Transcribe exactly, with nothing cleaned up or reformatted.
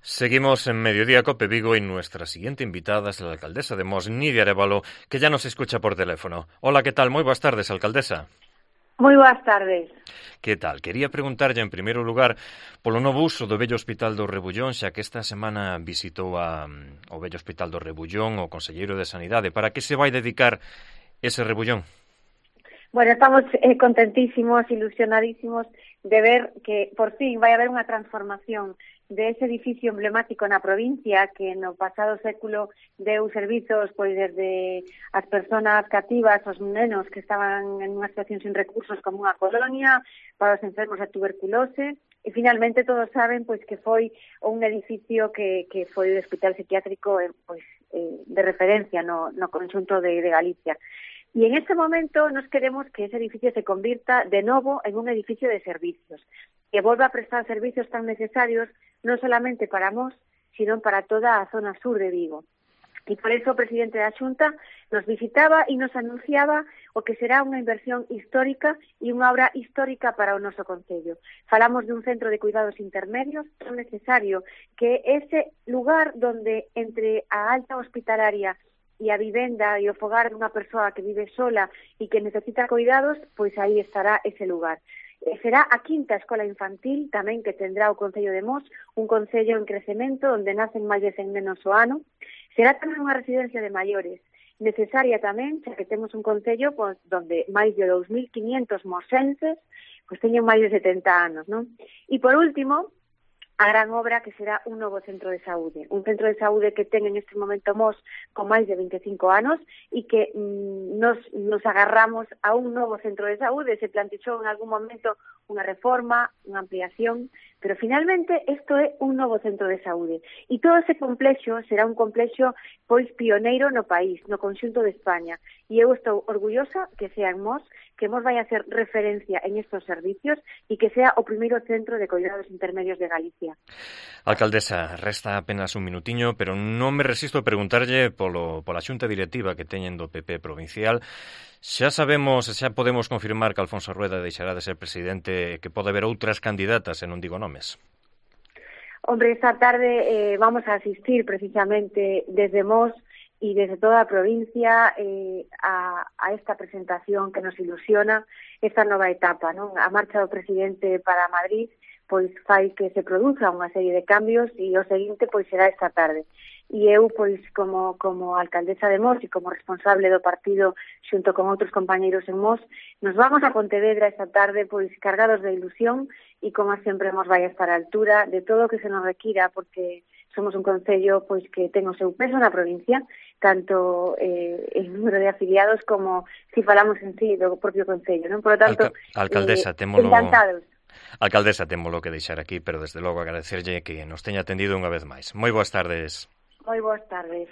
Seguimos en Mediodía Cope Vigo y nuestra siguiente invitada es la alcaldesa de Mos, Nidia Arévalo, que ya nos escucha por teléfono. Hola, ¿qué tal? Moi boas tardes, alcaldesa. Moi boas tardes. Que tal? Quería preguntarlle, en primeiro lugar, polo novo uso do vello Hospital do Rebullón, xa que esta semana visitou a, o vello Hospital do Rebullón o conselleiro de Sanidade. Para que se vai dedicar ese Rebullón? Bueno, estamos eh, contentísimos, ilusionadísimos de ver que por fin vai haber unha transformación de ese edificio emblemático na provincia que no pasado século deu servizos pois desde as persoas cativas, os nenos que estaban en unha situación sin recursos como unha colonia, para os enfermos de tuberculose, e finalmente todos saben pois que foi un edificio que, que foi o hospital psiquiátrico eh, pois, eh, de referencia no, no conxunto de, de Galicia. Y en este momento nos queremos que ese edificio se convierta de novo en un edificio de servicios, que volva a prestar servicios tan necesarios non solamente para Mos, sino para toda a zona sur de Vigo. E por eso o presidente da Xunta nos visitaba e nos anunciaba o que será unha inversión histórica e unha obra histórica para o noso concello. Falamos dun centro de cuidados intermedios tan necesario que ese lugar donde entre a alta hospitalaria e a vivenda e o fogar dunha persoa que vive sola e que necesita cuidados, pois aí estará ese lugar. E será a quinta escola infantil tamén que tendrá o Concello de Mos, un concello en crecemento onde nacen máis de cen nenos ao ano. Será tamén unha residencia de maiores, necesaria tamén, xa que temos un concello pois, donde máis de dous mil quinientos mosenses pois, teñen máis de setenta anos, non? E por último, a gran obra que será un novo centro de saúde. Un centro de saúde que ten en este momento Mos con máis de vinte e cinco anos e que mm, nos, nos agarramos a un novo centro de saúde. Se plantexou en algún momento unha reforma, unha ampliación, pero finalmente isto é un novo centro de saúde. E todo ese complexo será un complexo pois pioneiro no país, no conxunto de España. E eu estou orgullosa que sea en Mos, que Mos vai a hacer referencia en estos servicios e que sea o primeiro centro de cuidados intermedios de Galicia. Alcaldesa, resta apenas un minutiño, pero non me resisto a preguntarlle polo, pola xunta directiva que teñen do P P provincial. Xa sabemos, xa podemos confirmar que Alfonso Rueda deixará de ser presidente, que pode haber outras candidatas, e non digo nomes. Hombre, esta tarde eh, vamos a asistir precisamente desde Mos y desde toda a provincia eh, a, a esta presentación que nos ilusiona, esta nova etapa, non? A marcha do presidente para Madrid pois fai que se produza unha serie de cambios e o seguinte pois será esta tarde. E eu, pois, como, como alcaldesa de Mos e como responsable do partido xunto con outros compañeiros en Mos, nos vamos a Pontevedra esta tarde pois cargados de ilusión e como sempre Mos vai a estar a altura de todo o que se nos requira, porque somos un concello pois que ten o seu peso na provincia, tanto eh, en número de afiliados como si falamos en sí do propio concello, non? Por lo tanto, Alca alcaldesa, eh, témolo... encantados. Alcaldesa, témolo que deixar aquí, pero desde logo agradecerlle que nos teña atendido unha vez máis. Moi boas tardes. Moi boas tardes.